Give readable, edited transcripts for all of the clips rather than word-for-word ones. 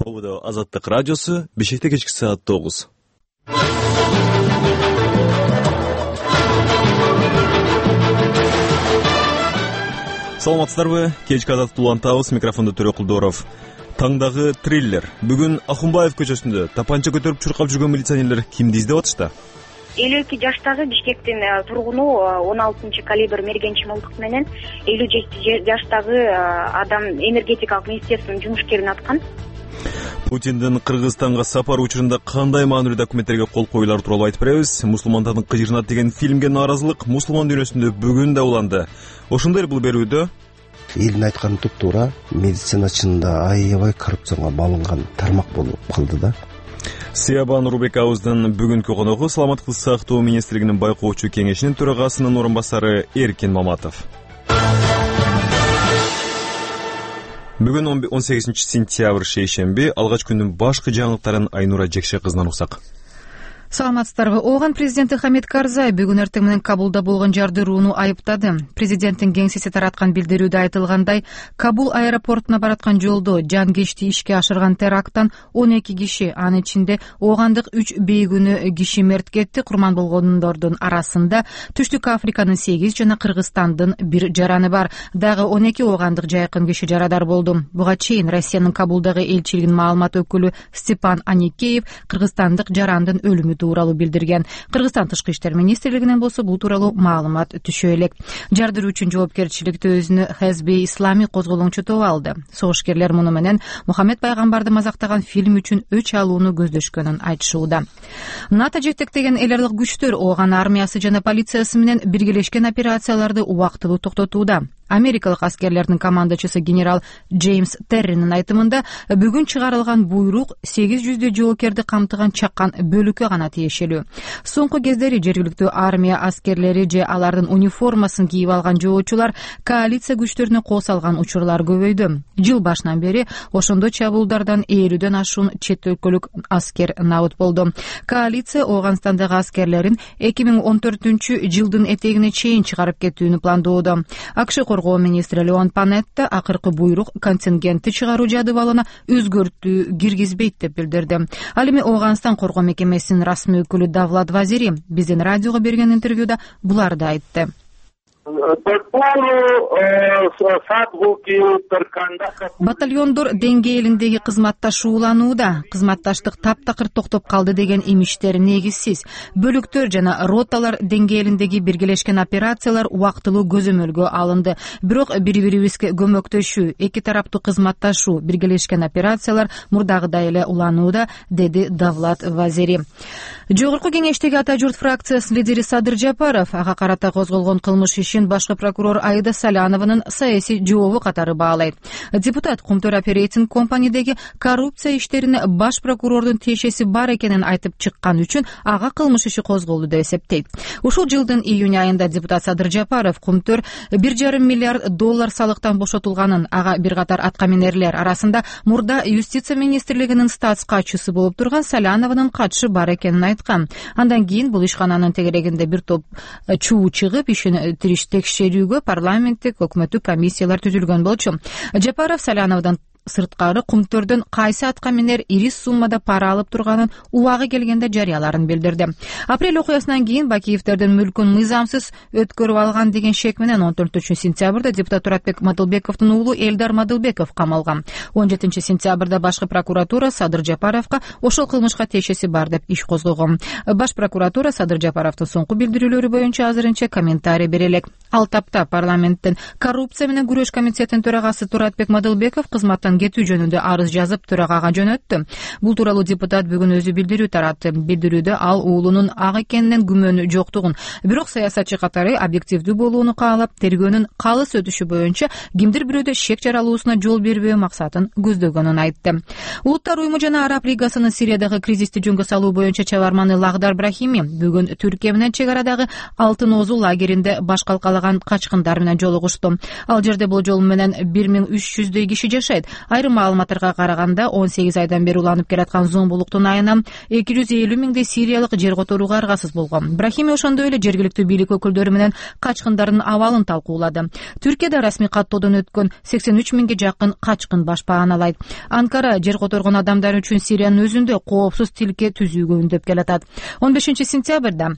Ободо Азаттык радиосу, Бишкекте кечки саат 9. Саламатсыздарбы? Кечки Азаттыкты улантабыз. Микрофондо Төрөк Кулдоров. Таңдагы триллер. Бүгүн Ахунбаев көчөсүндө тапанча көтөрүп чуркап жүргөн милиционерлер кимди издеп атышты? 52 жаштагы Бишкектин тургуну 16-калибр мергенчи мылтык менен 57 жаштагы адам энергетикалык министерствонун жумушкерин аткан. Путиндин Кыргызстанга сапар учурунда кандай маанилүү документтерге кол коюлары тууралуу айтып беребиз. Мусулмандардын кыжырынат деген фильмге нааразылык мусулман дүйнөсүндө бүгүн да уланды. Ошондой эле бул берүүдө элдин айтканы туп-туура, медицина чынында аябай коррупцияга малынган тармак болуп калды да. Сиябан Нурбековдун бүгүнкү коногу Саламаттыкты сактоо министрлигинин байкоочу кеңешинин төрагасынын орун басары Эркин Маматов. Бүгүн 18-сентябрь шейшемби, алгач күндүн башкы жаңылыктарын Айнура Жекше кызынан уксак. Саламатсыздарбы. Ооган президенти Хамид Карзай бүгүн эртең менен Кабулда болгон жардырууну айыптады. Президенттин кеңсеси тараткан билдирүүдө айтылгандай, Кабул аэропортуна бараткан жолдо жан кечти ишке теракттан 12 киши, анын ичинде оогандык 3 бейгүнөө киши мерт кетти. Курман болгондордун арасында Түштүк Африканын 8 жана Кыргызстандын 1 жараны бар. Дагы 12 оогандык жайкын киши жарадар болду. Буга чейин Россиянын Кабулдагы элчилигинин маалымат өкүлү Степан Аникеев кыргызстандык жарандын өлүмү тууралуу билдирген. Кыргызстан тышкы иштер министрлигинен болсо бул тууралуу маалымат түшө элек. Жардыруу үчүн жоопкерчиликти өзүнө Хезби Ислами козголоңчу алды. Согушкерлер муну менен Мухаммед пайгамбарды мазактаган фильм үчүн өч алууну көздөшкөнүн айтышууда. НАТО жетектеген эл аралык күчтөр Ооган армиясы жана полициясы менен биргелешкен операцияларды убактылуу токтотууда. Америкалык аскерлердин командачысы генерал Джеймс Терринин айтымында, бүгүн чыгарылган буйрук 800 жоокерди камтыган чакан бөлүккө гана тиешелүү. Соңку кездери жергиликтүү армия аскерлери же алардын униформасын кийип алган жоочулар коалиция күчтөрүнө кол салган учурлар көбөйдү. Жыл башынан бери ошондой чабуулдардан 50дөн ашуун чет өлкөлүк аскер набыт болду. Коалиция Ооганстандагы аскерлерин 2014-жылдын этегине чейин чыгарып кетүүнү пландоодо. АКШ коргоо министри Леон Панетта акыркы буйрук контингентти чыгаруу жадыбалына өзгөртүү киргизбейт деп билдирди. Ал эми Ооганстан коргоо мекемесинин расмий өкүлү Давлат Вазири биздин радиого берген интервьюда буларды айтты. Батальондор деңгээлиндеги кызматташууланууда. Кызматташтык таптакыр токтоп калды деген имиштер негизсиз. Бөлүктөр жана роталар деңгээлиндеги биргелешкен операциялар убактылуу көзөмөлгө алынды. Бирок бири-бирибизге көмөктөшүү, эки тараптуу кызматташуу, биргелешкен операциялар мурдагыдай эле уланууда, деди Давлат Вазири. Жогорку кеңештеги Ата журт фракциясынын лидери Садыр Жапаров ага карата козголгон кылмыш ишин башкы прокурор Аида Салянованын саясий жообу катары баалайт. Депутат Кумтөр Оперейтинг компанидеги коррупция иштерине баш прокурордун тиешеси бар экенин айтып чыккан үчүн ага кылмыш иши козголду деп эсептейт. Ушул жылдын июнь айында депутат Садыр Жапаров Кумтөр $1,5 миллиард салыктан бошотулганын, ага бир катар аткаминерлер арасында мурда юстиция министрлигинин статс катчысы болуп турган Салянованын катышы бар экенин айткан. Андан кийин бул ишкананын тегерегинде бир топ чуу чыгып, ишин текшерүүгө парламенттик өкмөттүк комиссиялар түзүлгөн болчу. Жапаров Саляновдон сырткары Кумтөрдөн кайсы аткаминер ири суммада пара алып турганын убагы келгенде жарыяларын билдирди. Апрель окуясынан кийин Бакиевдердин мүлкүн мыйзамсыз өткөрүп алган деген шек менен 14-сентябрда депутат Туратбек Мадылбековдун уулу Элдар Мадылбеков камалган. 17-сентябрда башкы прокуратура Садыр Жапаровго ошол кылмышка тиешеси бар деп иш козгогон. Баш прокуратура Садыр Жапаровдун соңку билдирүүлөрү боюнча азырынча комментарий бере элек. Ал тапта парламенттин коррупция менен күрөш комитетинин төрагасы Туратбек Мадылбеков кызматтан кетүү жөнүндө арыз жазып төрагага жөнөттү. Бул тууралуу депутат бүгүн өзү билдирүү таратты. Билдирүүдө ал уулунун ак экенинен күмөнү жоктугун, бирок саясатчы катары объективдүү болууну каалап, тергөөнүн калыс өтүшү боюнча кимдир бирөөдө шек жаралуусуна жол бербөө максатын көздөгөнүн айтты. Улуттар уюму жана Араб лигасынын Сириядагы кризисти жөнгө салуу боюнча чабарманы Лагдар Брахими бүгүн Түркия менен чек арадагы Алтын Озу лагеринде баш калкалаган качкындар менен жолугушту. Ал жерде болжол менен 1300 киши жашайт. Айрым маалыматтарга караганда 18 айдан бери уланып келаткан зомбулуктун айынан 250 миңдей сириялык жер которууга аргасыз болгон. Брахими ошондой эле жергиликтүү бийлик өкүлдөрү менен качкындардын абалын талкуулады. Түркияда расмий каттоодон өткөн 83 миңге жакын качкын баш бааналайт. Анкара жер которгон адамдар үчүн Сириянын өзүндө коопсуз тилке түзүүгө үндөп келатат. 15 сентябрда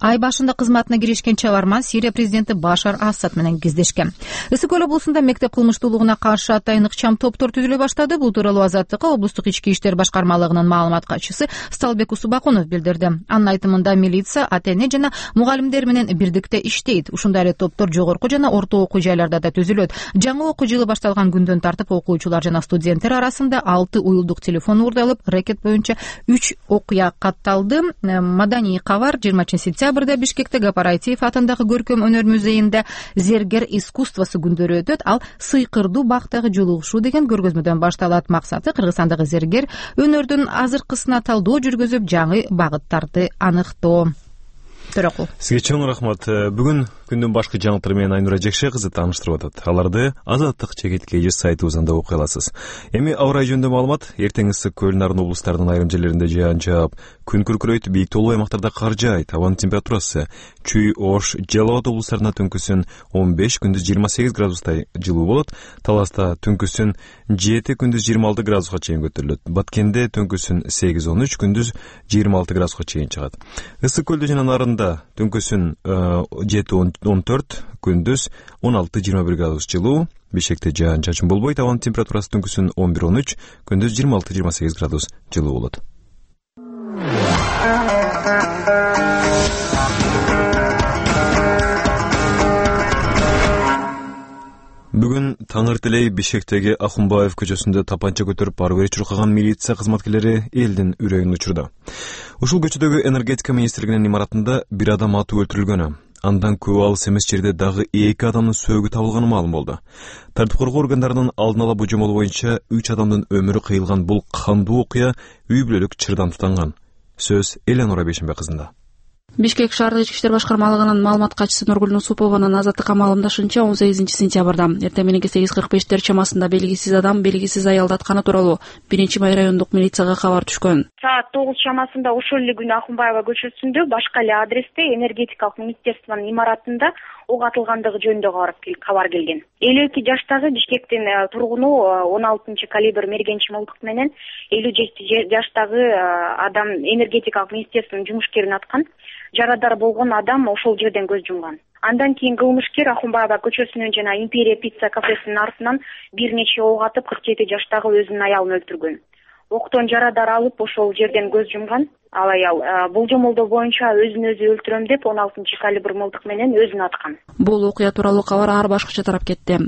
ай башында кызматына киришкен чабарман Сирия президенти Башар Асад менен кездешкен. Ысык көл облусунда мектеп кылмыштуулугуна каршы атайын ыкчам топтор түзүлө баштады. Бул тууралуу Азаттыкка облустук ички иштер башкармалыгынын маалымат катчысы Сталбек Усубакунов билдирди. Анын айтымында милиция, ата-эне жана мугалимдер менен бирдикте иштейт. Ушундай эле топтор жогорку жана орто окуу жайларда да түзүлөт. Жаңы окуу жылы башталган күндөн тартып окуучулар жана студенттер арасында 6 уюлдук телефон уурдалып, рекет боюнча 3 окуя катталды. Маданий кабар 20 сентябрда Бишкекте Гапарайтиев атындагы көркөм өнөр музейинде зергер искусствосу күндөрү өтөт. Ал сыйкырдуу бактагы жолугушуу деген көргөзмөдөн башталат. Максаты Кыргызстандагы зергер өнөрдүн азыркысына талдоо жүргүзүп, жаңы багыттарды аныктоо. Төрөкул. Сизге чоң рахмат. Бүгүн күндүн башкы жаңылыктары менен Айнура Жекше кызы тааныштырып атат. Аларды Азаттык чекиткейи сайтыбызда окуй аласыз. Эми аба ырайы жөнүндө маалымат. Эртең ысык көл нарын облустарынын айрым жерлеринде жаан жаап, күн күркүрөйт, бийик тоолуу аймактарда кар жаайт. Абанын температурасы Чүй, Ош, Жалал Абад облустарында түнкүсүн 15, күндүз 28 градустай жылуу болот. Таласта түнкүсүн 7, күндүз 26 градуска чейин көтөрүлөт. Баткенде түнкүсүн 8-13, күндүз 26 градуска чейин чыгат. Ысык көлдө жана нарында түнкүсүн 7-14, күндүз 16-21 градус жылуу. Бишкекте жаан чачын болбойт. Абанын температурасы түнкүсүн 11-13, күндүз 26-28 градус жылуу болот. Бүгүн таңертелей Бишкектеги Ахунбаев көчөсүндө тапанча көтөрүп барып чуркаган милиция кызматкерлери элдин үрөйүн учурду. Ушул көчөдөгү энергетика министрлигинин имаратында бир адам атып өлтүрүлгөнү, андан көп алыс эмес жерде дагы 2 адамдын сөөгү табылганы маалым болду. Тартип коргоо органдарынын алдын ала божомолу боюнча 3 адамдын өмүрү кыйылган бул кандуу окуя үй бүлөлүк чырдан тутанган. Сөз Элеонора Бейшенбек кызында. Бишкек шаардык ички иштер башкармалыгынын маалымат катчысы Нургүл Нусупованын Азаттыкка маалымдашынча 18 сентябрда эртең мененки 8:45 чамасында белгисиз адам белгисиз аялды атканы тууралуу 1-май райондук милицияга кабар түшкөн. Саат 9 чамасында ошол эле күнү Ахунбаева көчөсүндө башка эле адресте энергетикалык министерствонун имаратында ок атылгандыгы жөнүндө кабар келген. 52 жаштагы Бишкектин тургуну 16 калибр мергенчи мылтык менен 57 жаштагы адам энергетикалык министерствонун жумушкерин аткан. Жарадар болгон адам ошол жерден көз жумган. Андан кийин кылмышкер Ахунбаева көчөсүнүн жана Империя пицца кафесинин артынан бир нече ок атып 47 жаштагы өзүнүн аялын өлтүргөн. Октон жарадар алып ошол жерден көз жумган. Ал аял болжомолдоо боюнча өзүн өзү өлтүрөм деп 16 калибр мылтык менен өзүн аткан. Бул окуя тууралуу кабар ар башкача тарап кетти.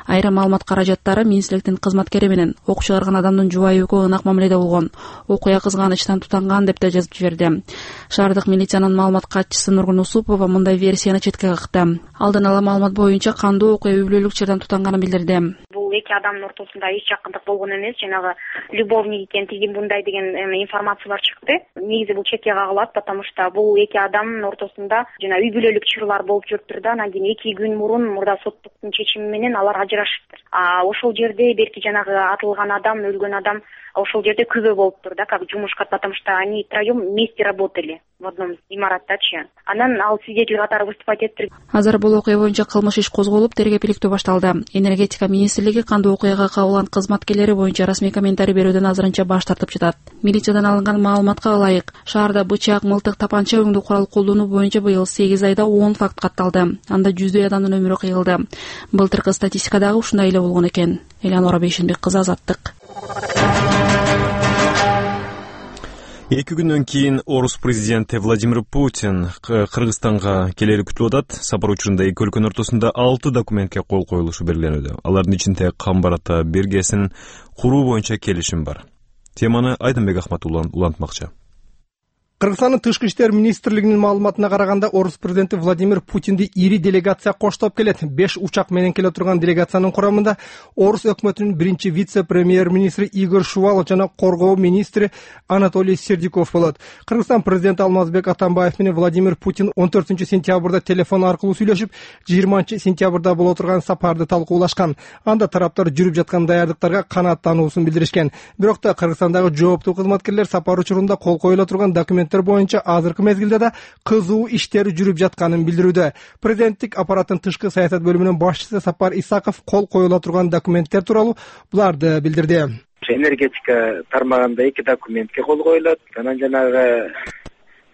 Айрым маалымат каражаттары министрликтин кызматкери менен ок чыгарган адамдын жубайы экөө ынак мамиледе болгон. Окуя кызганычтан тутанган деп да жазып жиберди. Шаардык милициянын маалымат катчысы Нургүл Нусупова мындай версияны четке какты. Алдын ала маалымат боюнча кандуу окуя үй бүлөлүк чырдан тутанганын билдирди. Бул эки адамдын ортосунда эч жакындык болгон эмес, жанагы любовник экен, тиги мындай деген информациялар чыкты. Негизи бул четке кагылат, потому что бул эки адамдын ортосунда жана үй бүлөлүк чырлар болуп жүрүптүр да, анан кийин 2 күн мурун мурда соттуктун чечими менен алар ажырашыптыр. Ошол жерде берки жанагы атылган адам, өлгөн адам ошол жерде күбө болуптур да, как жумушка, потому что они втроем вместе работали в одном имараттачы. Анан ал свидетель катары выступать эттир. Азыр бул окуя боюнча кылмыш иш козголуп, тергөө-иликтөө башталды. Энергетика министрлиги кандуу окуяга кабылган кызматкерлери боюнча расмий комментарий берүүдөн азырынча баш тартып жатат. Милициядан алынган маалыматка ылайык, шаарда бычак, мылтык, тапанча өңдүү курал колдонуу боюнча быйыл 8 айда 10 факт катталды. Анда жүздөй адамдын өмүрү кыйылды. Былтыркы статистика дагы ушундай эле болгон экен. Элеонора Бейшенбек кызы, Азаттык. 2 күндөн кийин Орус президенти Владимир Путин Кыргызстанга келери күтүлүп атат. Сапар учурунда эки өлкөнүн ортосунда 6 документке кол коюлушу белгиленүүдө. Алардын ичинде Камбар ата Кыргызстандын тышкы иштер министрлигинин маалыматына караганда, орус президенти Владимир Путинди ири делегация коштоп келет. 5 учак менен келе турган делегациянын курамында орус өкмөтүнүн биринчи вице-премьер-министри Игорь Шувалов жана коргоо министри Анатолий Сердюков болот. Кыргызстан президенти Алмазбек Атамбаев менен Владимир Путин 14-сентябрда телефон аркылуу сүйлөшүп, 20-сентябрда боло турган сапарды талкуулашкан. Анда тараптар жүрүп жаткан даярдыктарга канааттануусун билдиришкен. Бирок да Кыргызстандагы жооптуу кызматкерлер сапар учурунда кол коюла турган документтер боюнча азыркы мезгилде да кызуу иштер жүрүп жатканын билдирүүдө. Президенттик аппараттын тышкы саясат бөлүмүнүн башчысы Сапар Исаков кол коюла турган документтер тууралуу буларды билдирди. Энергетика тармагында 2 документке кол коюлат. Анан жанагы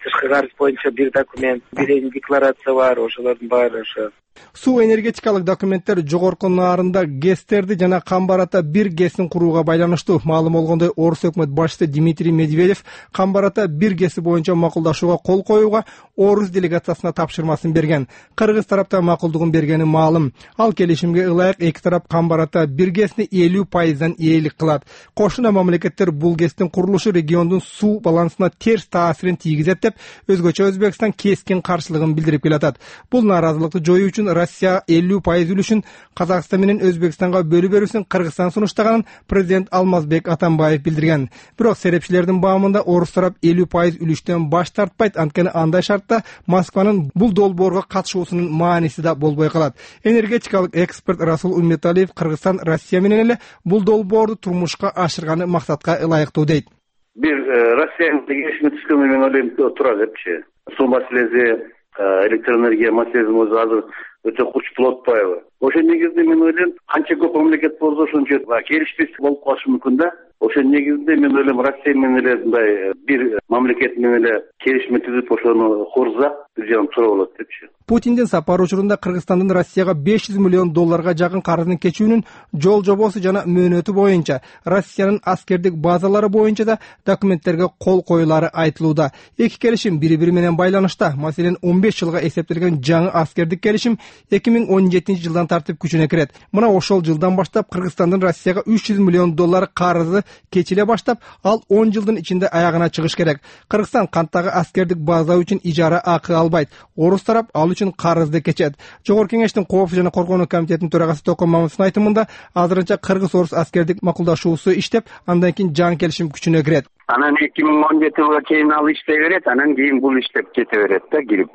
тышкы карыз боюнча 1 документ, 1 декларация бар. Ошолордун баары ошо. Суу энергетикалык документтер жогорку наарында ГЭСтерди жана Камбарата 1 ГЭСин курууга байланыштуу. Маалым болгондой, орус өкмөт башчысы Дмитрий Медведев Камбарата 1 ГЭСи боюнча макулдашууга кол коюуга орус делегациясына тапшырмасын берген. Кыргыз тарапта макулдугун бергени маалым. Ал келишимге ылайык эки тарап Камбарата 1 ГЭСини 50% ээлик кылат. Кошуна мамлекеттер бул ГЭСтин курулушу региондун суу балансына терс таасирин тийгизет деп өзгөчө Өзбекстан кескин каршылыгын билдирип келатат. Бул нааразылыкты жоюу үчүн Россия 50% үлүшүн Казакстан менен Өзбекстанга бөлүп берүүсүн Кыргызстан сунуштаганын президент Алмазбек Атамбаев билдирген. Бирок серепчилердин баамында орус тарап 50% үлүштөн баш тартпайт, анткени андай шартта Москванын бул долбоорго катышуусунун мааниси да болбой калат. Энергетикалык эксперт Расул Умметалиев Кыргызстан Россия менен эле бул долбоорду турмушка ашырганы максатка ылайыктуу дейт. Бир Россиянын келишими түзгөнү мен ойлойм тура депчи. Суу маселеси, электроэнергия маселеси өзү азыр өтө курч болуп атпайбы? Ошо негизинде мен ойлойм, канча көп мамлекет болсо ошончо келишпестик болуп калышы мүмкүн да. Ошо негизинде мен ойлойм, Россия менен эле мындай бир мамлекет менен эле келишим түзүп ошону корузак бир жагынан туура болот депчи. Путиндин сапары учурунда Кыргызстандын Россияга $500 миллион жакын карыздын кечүүнүн жол жобосу жана мөөнөтү боюнча, Россиянын аскердик базалары боюнча да документтерге кол коюлары айтылууда. Эки келишим бири-бири менен байланышта. Маселен, 15 жылга эсептелген жаңы аскердик келишим 2017-жылдан тартып күчүнө кирет. Мына ошол жылдан баштап Кыргызстандын Россияга $300 миллион карызы кечиле баштап, ал 10 жылдын ичинде аягына чыгыш керек. Кыргызстан канттагы аскердик база үчүн ижара акы албайт. Орус тарап ал үчүн карызды кечет. Жогорку кеңештин коопсуздук жана коргонуу комитетинин төрагасы Токон Мамытовдун айтымында, азырынча кыргыз-орус аскердик макулдашуусу иштеп, андан кийин жаңы келишим күчүнө кирет. Анан 2017 жылга чейин ал иштей берет, анан кийин бул иштеп кете берет да кирип.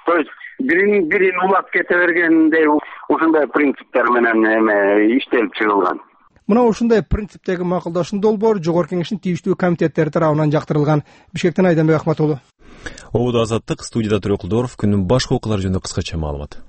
То есть бирин улап кете бергендей ушундай принциптер менен иштелип чыгылган. Мына ушундай принциптеги макулдашуу долбоор жогорку кеңештин тийиштүү комитеттери тарабынан жактырылган. Бишкектен Айданбек Ахматуллу. Обуда Азаттык, студияда Төрөк Кулдоров. Күндүн башка окуялары жөнүндө кыскача маалымат.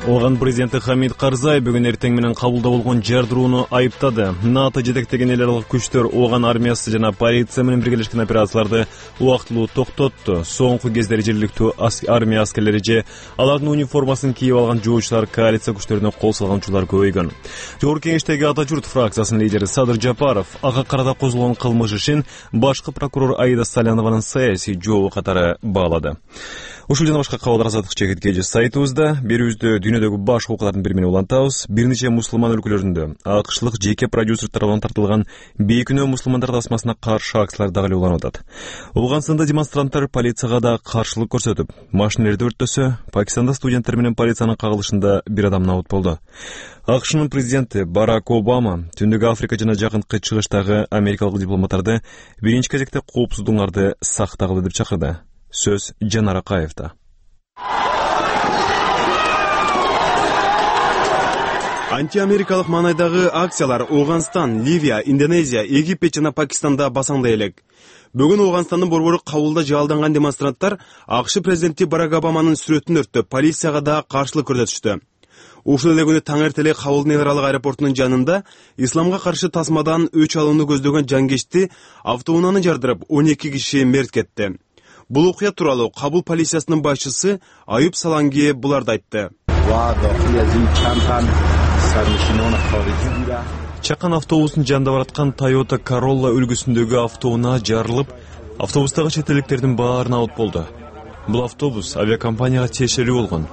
Оған президенти Хамид Карзай бүгүн эртең менен кабулда болгон жардырууну айыптады. НАТО жетектеген эл аралык күчтөр Оған армиясы жана полиция менен биргелешкен операцияларды убактылуу токтотту. Соңку кездери жергиликтүү армия аскерлери же алардын униформасын кийип алган жоочулар коалиция күчтөрүнө кол салган учурлар көбөйгөн. Жогорку кеңештеги Ата журт фракциясынын лидери Садыр Жапаров ага карата козголгон кылмыш ишин башкы прокурор Аида Салянованын саясий жообу катары баалады. Ушул жана башка кабарлар Азаттык чекиткеji сайтыбызда, берүүбүздө дүйнөдөгү башка окуялардын бир менен улантабыз. Бир нече мусулман өлкөлөрүндө акышлык жеке продюсер тарабынан тартылган бейкүнөө мусулмандар тасмасына каршы акциялар дагы эле уланып атат. Ооганстанда демонстранттар полицияга да каршылык көрсөтүп, машинелерди өрттөсө, Пакистанда студенттер менен полициянын кагылышында бир адам набыт болду. АКШнын президенти Барак Обама Түндүк Африка жана Жакынкы Чыгыштагы америкалык дипломаттарды биринчи кезекте коопсуздугуңарды сактагыла деп чакырды. Сөз Жанар Акаевда. Антиамерикалык маанайдагы акциялар Ооганстан, Ливия, Индонезия, Египет жана Пакистанда басаңдай элек. Бүгүн Ооганстандын борбору кабулда жаалданган демонстранттар АКШ президенти Барак Обаманын сүрөтүн өрттөп, полицияга да каршылык көрсөтүштү. Ушул эле күнү таңертеле Кабул нейралык аэропортунун жанында исламга каршы тасмадан өч алууну көздөгөн жангечти автоунааны жардырып 12 киши мерт кетти. Бул окуя тууралуу Кабул полициясынын башчысы Аюб Саланги буларды айтты. Чакан автобусун жанында бараткан Toyota Corolla үлгүсүндөгү автоунаа жарылып, автобустагы чет элдиктердин баарына от болду. Бул автобус авиакомпанияга тиешелүү болгон.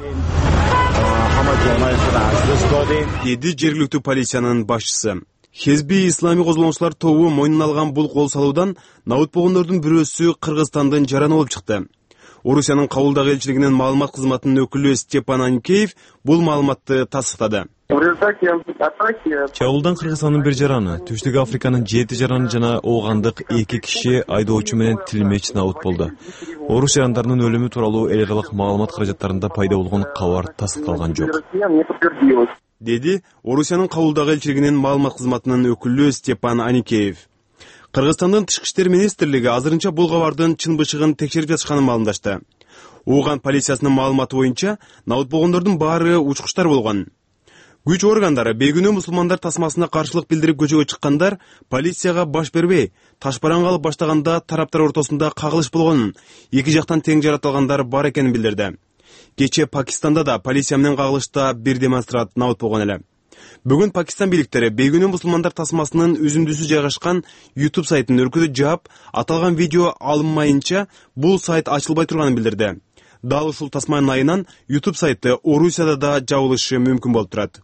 деди жергиликтүү полициянын башчысы. Хезби исламий козголоңчулар тобу мойнуна алган бул кол салуудан наутпогондордун бирөөсү Кыргызстандын жараны болуп чыкты. Орусиянын Кабулдагы элчилигинин маалымат кызматынын өкүлү Степан Аникеев бул маалыматты тастыктады. Чабуулдан Кыргызстандын бир жараны, Түштүк Африканын 7 жараны жана оогандык 2 киши айдоочу менен тилмеч наут болду. Орус жарандарынын өлүмү тууралуу эл аралык маалымат каражаттарында пайда болгон кабар тастыкталган жок, деди Орусиянын Кабулдагы элчилигинин маалымат кызматынын өкүлү Степан Аникеев. Кыргызстандын Тышкы иштер министрлиги азырынча бул кабардын чын бышыгын текшерип жатышканын маалымдашты. Ооган полициясынын маалыматы боюнча наутпогондордун баары учкучтар болгон. Күч органдары бейгүнөө мусулмандар тасмасына каршылык билдирип көчөгө чыккандар полицияга баш бербей, ташбараңга алып баштаганда тараптар ортосунда кагылыш болгонун, эки жактан тең жаратылгандар бар экенин билдирди. Кечээ Пакистанда да полиция менен кагылышта бир демонстрант наут болгон эле. Бүгүн Пакистан бийликтери бейгүнөө мусулмандар тасмасынын үзүндүсү жайгашкан YouTube сайтын өркүтүп жаап, аталган видео алынмайынча бул сайт ачылбай турганын билдирди. Дал ушул тасманын айынан YouTube сайты Орусияда да жабылышы мүмкүн болуп турат.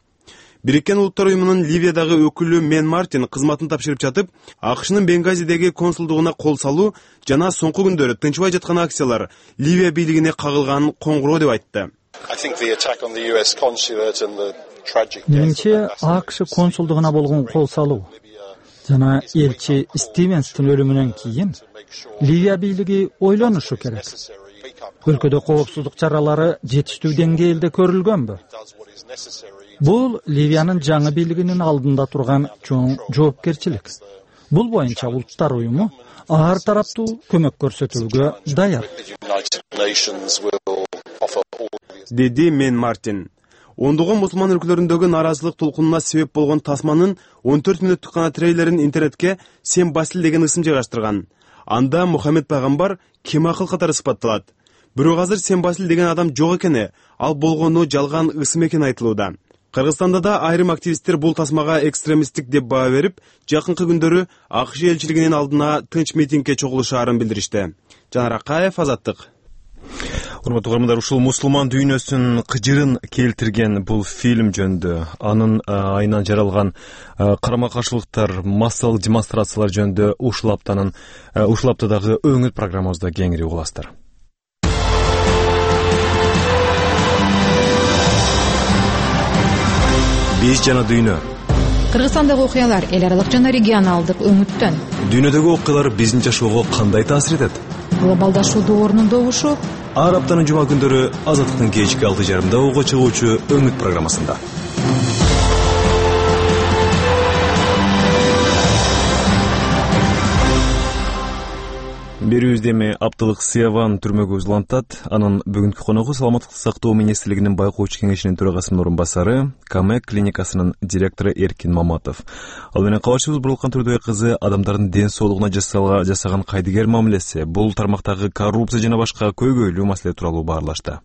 Бириккен Улуттар уюмунун Ливиядагы өкүлү Мен Мартин кызматын тапшырып жатып, АКШнын Бенгазидеги консулдугуна кол салуу жана соңку күндөрү тынчыбай жаткан акциялар Ливия бийлигине кагылган коңгуроо деп айтты. Менимче АКШ консулдугуна болгон кол салуу жана элчи Стивенстин өлүмүнөн кийин Ливия бийлиги ойлонушу керек. Өлкөдө коопсуздук чаралары жетиштүү деңгээлде көрүлгөнбү? Бул Ливиянын жаңы бийлигинин алдында турган чоң жоопкерчилик. Бул боюнча Улуттар уюму ар тараптуу көмөк көрсөтүүгө даяр, деди Мен Мартин. Ондогон мусулман өлкөлөрүндөгү нааразылык толкунуна себеп болгон тасманын 14 мүнөттүк гана трейлерин интернетке Сен Басил деген ысым жайгаштырган. Анда Мухаммед пайгамбар кем акыл катары сыпатталат. Бирок азыр Сен Басил деген адам жок экени, ал болгону жалган ысым экени айтылууда. Кыргызстанда да айрым активисттер бул тасмага экстремисттик деп баа берип, жакынкы күндөрү АКШ элчилигинин алдына тынч митингге чогулушаарын билдиришти. Жанар Акаев, Азаттык. Урматтуу угармандар, ушул мусулман дүйнөсүнүн кыжырын келтирген бул фильм жөнүндө, анын айынан жаралган карама каршылыктар, массалык демонстрациялар жөнүндө ушул аптадагы өңүт программабызда кеңири угуласыздар. Биз жана дүйнө. Кыргызстандагы окуялар эл аралык жана регионалдык өңүттөн. Дүйнөдөгү окуялар биздин жашоого кандай таасир этет? Глобалдашуу доорунун добушу. Ар аптанын жума күндөрү Азаттыктын кечки 6:30 уга чыгуучу өңүт программасында. Берүүбүздө эми апталык Сияван түрмөгө узулантат. Анын бүгүнкү коногу Саламаттыкты сактоо министрлигинин байкоочу кеңешинин төрагасынын орун басары, Камек клиникасынын директору Эркин Маматов. Ал менен кабарчыбыз Бурлакан Турдубай кызы адамдардын ден соолугуна жасаган кайдыгер мамилеси, бул тармактагы коррупция жана башка көйгөйлүү маселе тууралуу баарлашты.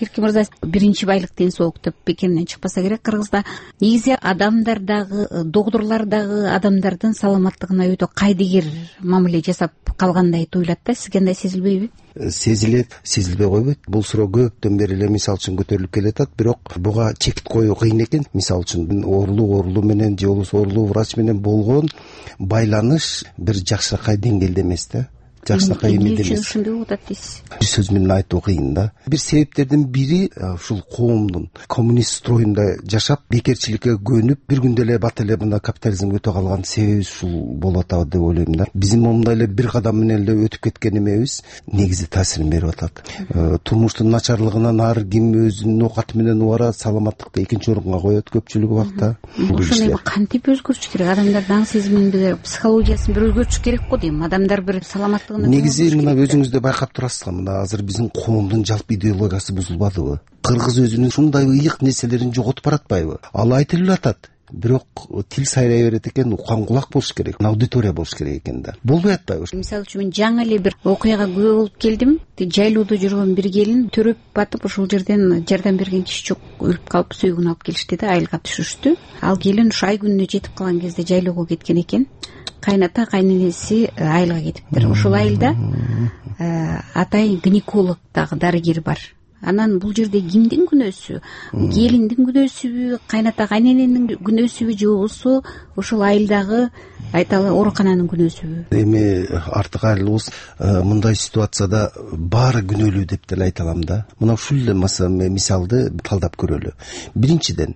Эркин мырза, биринчи байлык ден соолук деп бекемден чыкпаса керек. Кыргызда негизи адамдардагы, доктурлардагы адамдардын саламаттыгына өтө кайдыгер мамиле жасап калгандай туюлат да. Сизге андай сезилбейби? Сезилет, сезилбей койбойт. Бул суроо көптөн бери эле мисал үчүн көтөрүлүп келатат, бирок буга чекит коюу кыйын экен. Мисал үчүн оорулуу менен же болбосо оорулуу врач менен болгон байланыш бир жакшыракай деңгээлде эмес да. Жакшыракай эмес. Эмне үчүн ушундай болуп атат дейсиз? Бир сөз менен айтуу кыйын да. Бир себептердин бири ушул коомдун коммунист строюнда жашап, бекерчиликке көнүп, бир күндө эле бат эле мына капитализмге өтө калган себеби ушул болуп атат деп ойлойм да. Биздин момундай эле бир кадам менен эле өтүп кеткен эмебиз негизи таасирин берип атат. Турмуштун начарлыгынан ар ким өзүнүн оокаты менен убара саламаттыкты экинчи орунга коет көпчүлүк убакта. Ошону кантип өзгөртүш керек? Адамдардын аң сезимин, психологиясын бир өзгөртүш керек го дейм. Адамдар бир саламаттык. Негизи мына өзүңүз да байкап турасызга, мына азыр биздин коомдун жалпы идеологиясы бузулбадыбы? Кыргыз өзүнүн ушундай ыйык нерселерин жоготуп баратпайбы? Ал айтылып атат, бирок тил сайрай берет экен, уккан кулак болуш керек, аудитория болуш керек экен да. Болбой атпайбы? Мисалы үчүн мен жаңы эле бир окуяга күбө болуп келдим. Жайлоодо жүргөн бир келин төрөп батып, ошол жерден жардам берген киши жок, өлүп калып сөөгүн алып келишти да, айылга түшүрүштү. Ал келин ушу ай күнүнө жетип калган кезде жайлоого кеткен экен. Кайната, кайненеси айылга кетиптир. Ошол айылда атай гинеколог дагы дарыгер бар. анан бул жерде кимдин күнөөсү? Келиндин күнөөсүбү, кайната кайнененин күнөөсүбү же болбосо ошол айылдагы айталы оорукананын күнөөсүбү? Эми артык айылыбыз мындай ситуацияда баары күнөөлүү деп деле айта алам да. Мына ушул эле мисалды талдап көрөлү. Биринчиден,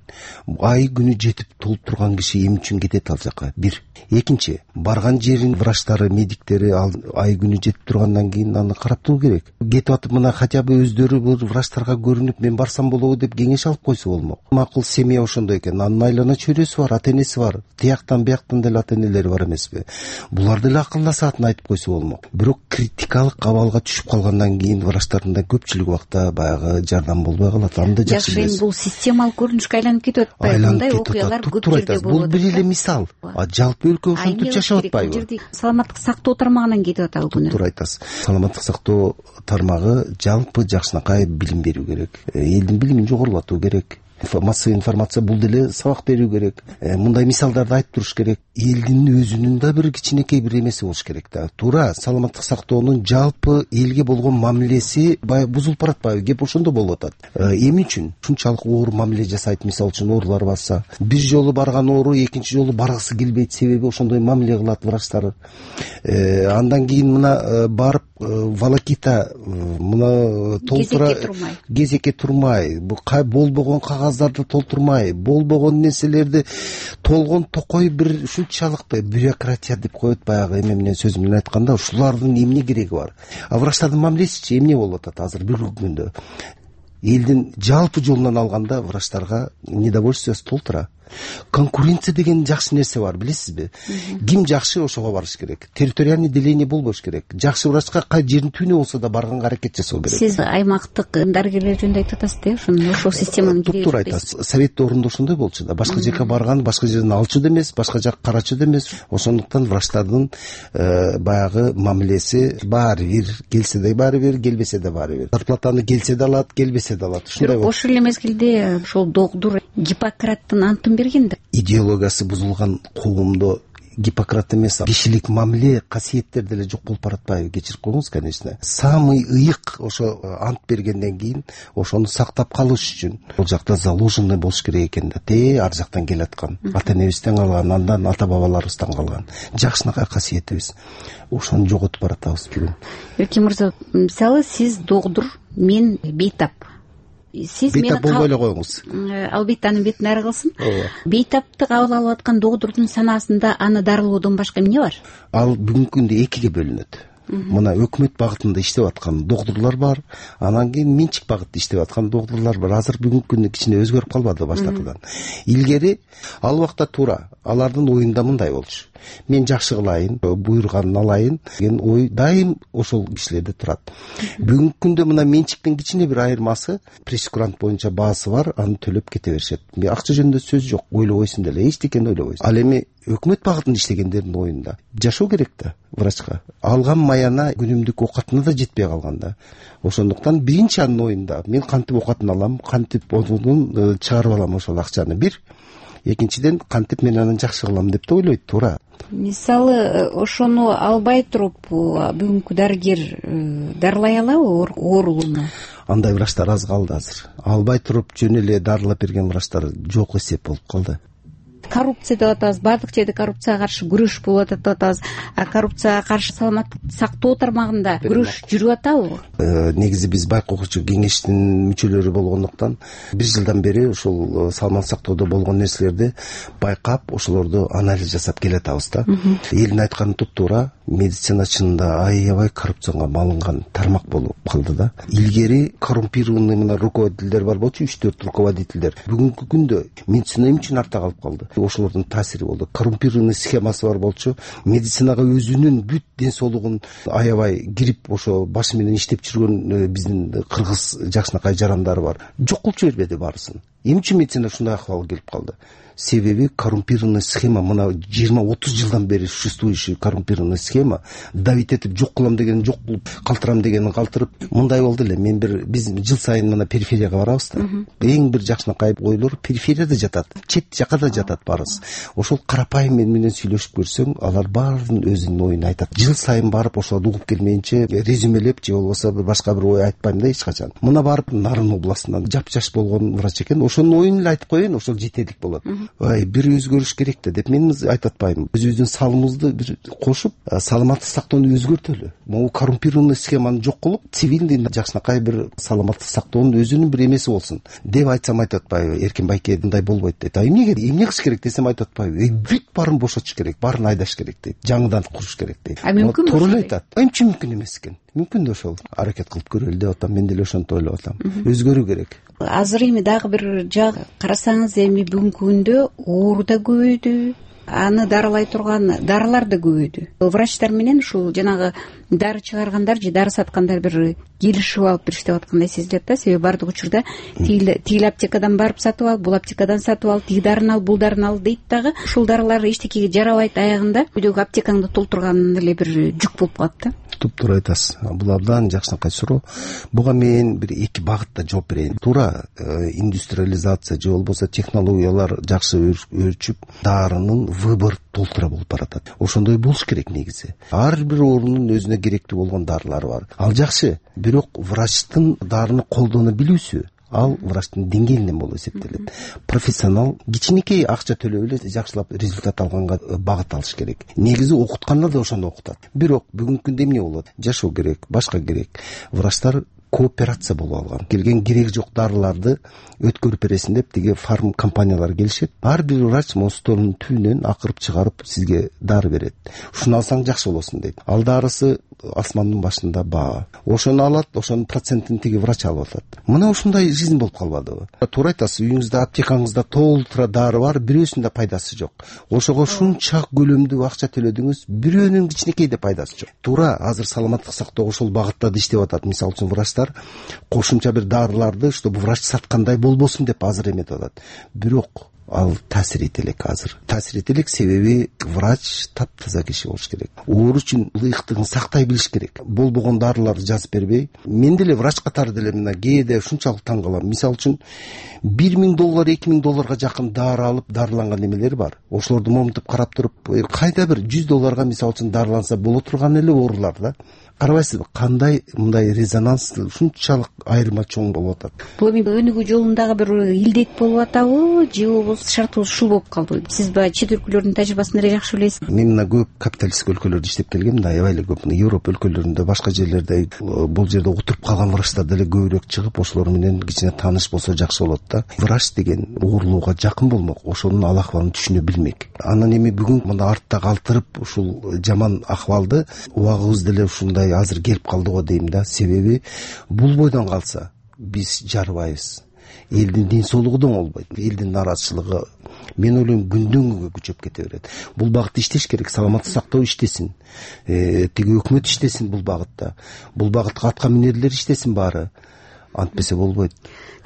ай күнү жетип толуп турган киши эмне үчүн кетет ал жака? Бир. Экинчи, барган жерин врачтары, медиктери ай күнү жетип тургандан кийин аны карап туруу керек. Кетип атып мына хотя бы өздөрү бул врачтарга көрүнүп мен барсам болобу деп кеңеш алып койсо болмок. Макул семья ошондой экен. Анын айлана чөйрөсү бар, ата энеси бар. Тияктан бияктан деле ата энелери бар эмеспи? Булар деле акылдашаатын айтып койсо болмок. Бирок критикалык абалга түшүп калгандан кийин врачтардын да көпчүлүк убакта баягы жардам болбой калат. Аны да жакшы билесиз. Жакшы, бул системалык көрүнүшкө айланып кетип атпайбы? Мындай окуялар көп жерде болот. Бул бир эле мисал. Жалпы өлкө ошентип жашап атпайбы? Саламаттык сактоо тармагынан кетип атабы күнөө? Туура айтасыз. Саламаттык сактоо тармагы жалпы жакшынакай билим берүү керек. Элдин билимин жогорулатуу керек. Массовый информация бул деле сабак берүү керек. Мындай мисалдарды айтып туруш керек. Элдин өзүнүн да бир кичинекей бир эмеси болуш керек да. Туура, саламаттык сактоонун жалпы элге болгон мамилеси баягы бузулуп баратпайбы? Кеп ошондо болуп атат. Эмне үчүн ушунчалык оор мамиле жасайт? Мисалы үчүн оорулар басса, бир жолу барган оору экинчи жолу баргысы келбейт, себеби ошондой мамиле кылат врачтар. Андан кийин мына барып волокита мына толтура кезекке турмай, болбогон кагаздарды толтурмай, болбогон нерселерди толгон токой бир ушунчалык бюрократия деп коет баягы эме менен сөз менен айтканда, ушулардын эмне кереги бар? Врачтардын мамилесичи эмне болуп атат азыр бүгүнкү күндө? Элдин жалпы жолунан алганда врачтарга недовольствиясы толтура. Конкуренция деген жакшы нерсе бар, билесизби? Ким жакшы ошого барыш керек. Территориальный деление болбош керек. Жакшы врачка кай жердин түбүнө болсо да барганга аракет жасоо керек. Сиз аймактык дарыгерлер жөнүндө айтып атасыз да, ошол системанын кереги. Туура айтасыз. Совет орунда ошондой болчу да. Башка жака барган, башка жерден алчу да эмес, башка жак карачу да эмес. Ошондуктан врачтардын баягы мамилеси баары бир, келсе да баары бир, келбесе да баары бир. Зарплатаны келсе да алат, келбесе да алат. Ушундай болот. Ошол эле мезгилде ошол доктур Гиппократтын антын берген да. Идеологиясы бузулган коомдо Гиппократ эмес, кишилик мамиле, касиеттер деле жок болуп баратпайбы? Кечирип коюңуз, конечно. Самый ыйык ошо ант бергенден кийин ошону сактап калыш үчүн бул жакта заложенный болуш керек экен да. Ар жактан келаткан, ата энебизден калган, андан ата бабаларыбыздан калган жакшынакай касиетибиз. Ошону жоготуп баратабыз бүгүн. Эркин мырза, мисалы сиз доктур, мен бейтап. Сиз бейтап болбой эле коюңуз. Албетте анын бетин ары кылсын. Бейтапты кабыл алып аткан доктурдун санаасында аны дарылоодон башка эмне бар? Ал бүгүнкү күндө экиге бөлүнөт. Мына өкмөт багытында иштеп аткан доктурлар бар, анан кийин менчик багытта иштеп аткан доктурлар бар. Азыр бүгүнкү күндө кичине өзгөрүп калбады баштапкыдан. Илгери ал убакта туура алардын оюнда мындай болчу. Мен жакшы кылайын, буйруганын алайын деген ой дайым ошол кишилерде турат. Бүгүнкү күндө мына менчиктин кичине бир айырмасы, прейскурант боюнча баасы бар, аны төлөп кете беришет. Акча жөнүндө сөз жок, ойлобойсуң деле, эчтекени ойлобойсуң. Ал эми өкмөт багытында иштегендердин оюнда жашоо керек да врачка. Алган маяна күнүмдүк оокатына да жетпей калган да. Ошондуктан биринчи анын оюнда мен кантип оокатын алам, кантип онун чыгарып алам ошол акчаны бир. Экинчиден кантип мен аны жакшы кылам деп да ойлойт, туура. Мисалы, ошону албай туруп бүгүнкү дарыгер дарылай алабы оорулууну? Андай врачтар аз калды азыр. Албай туруп жөн эле дарылап берген врачтар жок эсеп болуп калды. Коррупция деп атабыз, баардык жерде коррупцияга каршы күрөш болуп атат деп атабыз. Коррупцияга каршы саламаттык сактоо тармагында күрөш жүрүп атабы? Негизи биз байкоочу кеңештин мүчөлөрү болгондуктан бир жылдан бери ушул саламаттык сактоодо болгон нерселерди байкап, ошолорду анализ жасап келатабыз да. Элдин айтканы туптуура, медицина чынында аябай коррупцияга малынган тармак болуп калды да. Илгери коррумпированный мына руководителдер бар болчу, 3-4 руководителдер. Бүгүнкү күндө медицина эмне үчүн артта калып калды? Ошолордун таасири болду. Коррумпированный схемасы бар болчу, медицинага өзүнүн бүт ден соолугун аябай кирип ошо башы менен иштеп жүргөн биздин кыргыз жакшынакай жарандары бар. Жок кылып жибербеди баарысын. Эмне үчүн медицинада ушундай акыбалга келип калды? Себеби коррумпированный схема, мына 20-30 жылдан бери существующий коррумпированный схема, давить этип жок кылам дегенин жок кылып, калтырам дегенин калтырып, мындай болду эле. Биз жыл сайын мына периферияга барабыз да. Эң бир жакшынакай ойлор периферияда жатат, чет жака да жатат барыбыз. Ошол карапайым менен сүйлөшүп көрсөң, алар баарын өзүнүн оюн айтат. Жыл сайын барып ошолорду угуп келмейинче резюмелеп же болбосо башка бир ой айтпайм да эч качан. Мына барып Нарын областынан жапжаш болгон врач экен, ошонун оюн эле айтып коеюн, ошол жетерлик болот. Бир өзгөрүш керек да деп мен айтып атпайм. Өзүбүздүн салымыбызды бир кошуп, саламаттык сактоону өзгөртөлү. Могу коррумпированный схеманы жок кылып, цивилдий жакшынакай бир саламаттык сактоонун өзүнүн бир эмеси болсун деп айтсам айтып атпайбы? Эркин Байке мындай болбойт дейт. Эмне кылыш керек десем айтып атпайбы? Бүт баарын бошотуш керек, баарын айдаш керек дейт. Жаңыдан куруш керек дейт. Мүмкүн туура эле айтат. Эмне үчүн мүмкүн эмес экен? Мүмкүн да ошол аракет кылып көрөлү деп атам. Мен деле ошентип ойлоп атам. Өзгөрүү керек. Азыр эми дагы бир жак карасаңыз, эми бүгүнкү күндө оору да көбөйдү, аны дарылай турган дарылар да көбөйдү. Врачтар менен ушул жанагы дары чыгаргандар же дары саткандар бир келишип алып иштеп аткандай сезилет да. Себеби бардык учурда тигил аптекадан барып сатып ал, бул аптекадан сатып ал, тиги дарыны ал, бул дарыны ал дейт дагы. Ушул дарылар эчтекеге жарабайт, аягында үйдөгү аптекаңды толтурган эле бир жүк болуп калат да. Туптуура айтасыз. Бул абдан жакшынакай суроо. Буга мен бир эки багытта жооп берейин. Туура, индустриализация же болбосо технологиялар жакшы өрчүп, дарынын выбор толтура болуп баратат. Ошондой болуш керек негизи. Ар бир оорунун өзүнө керектүү болгон дарылары бар. Ал жакшы, бирок врачтын дарыны колдоно билүүсү ал врачтын деңгээлинен болуп эсептелет. Профессионал кичинекей акча төлөп эле жакшылап результат алганга багыт алыш керек. Негизи окутканда да ошону окутат. Бирок бүгүнкү күндө эмне болот? Жашоо керек, башка керек. Врачтар кооперация болуп алган. Келген кереги жок дарыларды өткөрүп бересин деп тиги фарм компаниялар келишет. Ар бир врач столунун түбүнөн акырып чыгарып сизге дары берет. Ушуну алсаң жакшы болосун дейт. Ал дарысы асмандын башында баа. Ошону алат, ошонун процентин тиги врач алып атат. Мына ушундай жизнь болуп калбадыбы? Туура айтасыз, үйүңүздө аптекаңызда толтура дары бар, бирөөсүндө пайдасы жок. Ошого шунча көлөмдүү акча төлөдүңүз, бирөөнүн кичинекей да пайдасы жок. Туура, азыр саламаттык сактоо ошол багытта да иштеп атат. Мисалы үчүн врачтар кошумча бир дарыларды, чтобы врач саткандай болбосун деп азыр эметип атат. Бирок ал таасир эте элек азыр. Таасир эте элек, себеби врач таптаза киши болуш керек. Оору үчүн ылыктыгын сактай билиш керек. Болбогон дарыларды жазып бербей. Мен деле врач катары деле мына кээде ушунчалык таң калам. Мисалы үчүн $1000, $2000 жакын дары алып дарыланган эмелер бар. Ошолорду момунтуп карап туруп, кайда бир $100 мисалы үчүн дарыланса боло турган эле оорулар да. Карабайсызбы, кандай мындай резонанс ушунчалык айырма чоң болуп атат. Бул эми өнүгүү жолундагы бир илдет болуп атабы, же болбосо шарты ушул болуп калдыбы? Сиз баягы чет өлкөлөрдүн тажрыйбасын эле жакшы билесиз. Мен мына көп капиталисттик өлкөлөрдө иштеп келгем да, аябай эле көп. Европа өлкөлөрүндө, башка жерлерде бул жерде отуруп калган врачтар деле көбүрөөк чыгып, ошолор менен кичине тааныш болсо жакшы болот да. Врач деген оорулууга жакын болмок, ошонун ал акыбалын түшүнө билмек. Анан эми бүгүн мына артта калтырып ушул жаман акыбалды убагыбыз деле ушундай азыр келип калды го дейм да. Себеби бул бойдон калса биз жарыбайбыз. Элдин ден соолугу да оңолбойт. Элдин нараазычылыгы, мен ойлойм, күндөн күнгө күчөп кете берет. Бул багытта иштеш керек, саламаттык сактоо иштесин. Тиги өкмөт иштесин бул багытта. Бул багытка атка минерлер иштесин баары. Антпесе болбойт.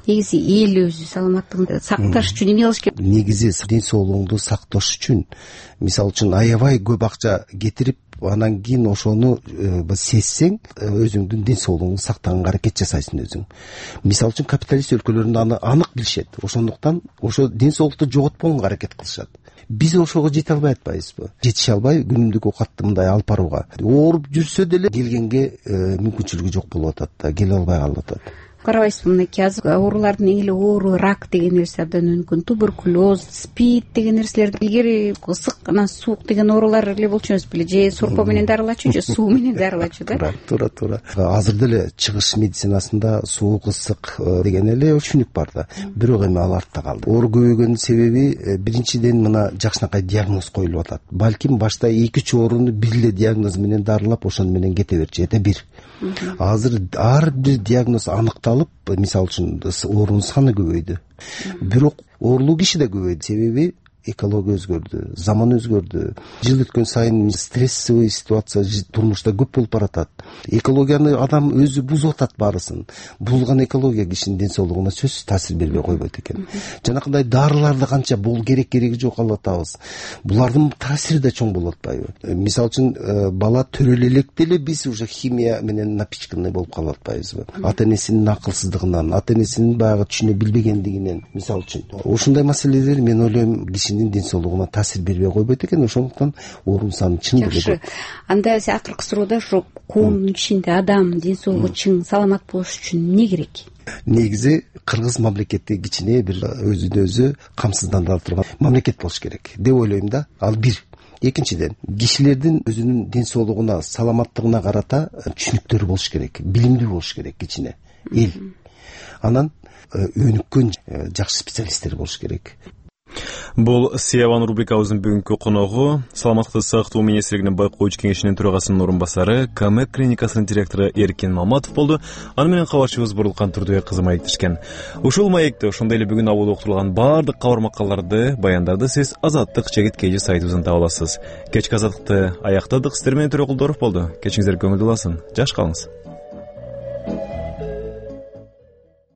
Негизи эл өзү саламаттыгын сакташ үчүн эмне кылыш керек? Негизи ден соолугуңду сакташ үчүн, мисалы үчүн аябай көп акча кетирип, анан кийин ошону сезсең, өзүңдүн ден соолугуңду сактаганга аракет жасайсың өзүң. Мисалы үчүн капиталист өлкөлөрүндө аны анык билишет. Ошондуктан ошо ден соолукту жоготпогонго аракет кылышат. Биз ошого жете албай атпайбызбы? Жетише албай күнүмдүк оокатты мындай алып барууга. Ооруп жүрсө деле келгенге мүмкүнчүлүгү жок болуп атат да, келе албай калып атат. Карабайсызбы, мынакей азыр оорулардын эң эле оору рак деген нерсе абдан өнүккөн, туберкулез, спид деген нерселер. Илгери ысык анан суук деген оорулар эле болчу эмес беле, же сорпо менен дарылачу, же суу менен дарылачу да. Туура. Азыр деле чыгыш медицинасында суук, ысык деген эле түшүнүк бар да. Бирок эми ал артта калды. Оору көбөйгөнүн себеби биринчиден мына жакшынакай диагноз коюлуп атат. Балким башта 2-3 ооруну бир эле диагноз менен дарылап, ошону менен кете берчү, эте бир. Азыр ар бир диагноз аныкталып, мисалы үчүн оорунун саны көбөйдү. Бирок оорулуу киши да көбөйдү. Себеби экология өзгөрдү, заман өзгөрдү. Жыл өткөн сайын стрессовый ситуация турмушта көп болуп баратат. Экологияны адам өзү бузуп атат баарысын. Бузулган экология кишинин ден соолугуна сөзсүз таасир бербей койбойт экен. Жанакындай дарыларды канча бул кереги жок алып атабыз. Булардын таасири да чоң болуп атпайбы? Мисалы үчүн бала төрөлө электе эле биз уже химия менен напичканный болуп калып атпайбызбы? Ата энесинин акылсыздыгынан, ата энесинин баягы түшүнө билбегендигинен, мисалы үчүн. Ушундай маселелер мен ойлойм кишинин ден соолугуна таасир бербей койбойт экен. Ошондуктан орун саны чын деле жакшы. Анда акыркы суроодо ушу коомдун ичинде адам ден соолугу чың, саламат болуш үчүн эмне керек? Негизи кыргыз мамлекети кичине бир өзүнө өзү камсыздандыра турган мамлекет болуш керек деп ойлойм да. Ал бир. Экинчиден, кишилердин өзүнүн ден соолугуна, саламаттыгына карата түшүнүктөрү болуш керек, билимдүү болуш керек кичине эл. Анан өнүккөн жакшы специалисттер болуш керек. Бул Сияван рубрикабыздын бүгүнкү коногу Саламаттыкты сактоо министрлигинин байкоочу кеңешинин төрагасынын орун басары, КМЭК клиникасынын директору Эркин Маматов болду. Аны менен кабарчыбыз Бурулкан Турдубек кызы маектешкен. Ушул маекте ошондой эле бүгүн абалда уктурулган баардык кабар макалларды, баяндарды сиз Азаттык /KG сайтыбыздан таба аласыз. Кечки Азаттыкты аяктадык. Сиздер менен Төрөкулдоров болду. Кечиңиздер көңүлдүү болсун. Жакшы калыңыз.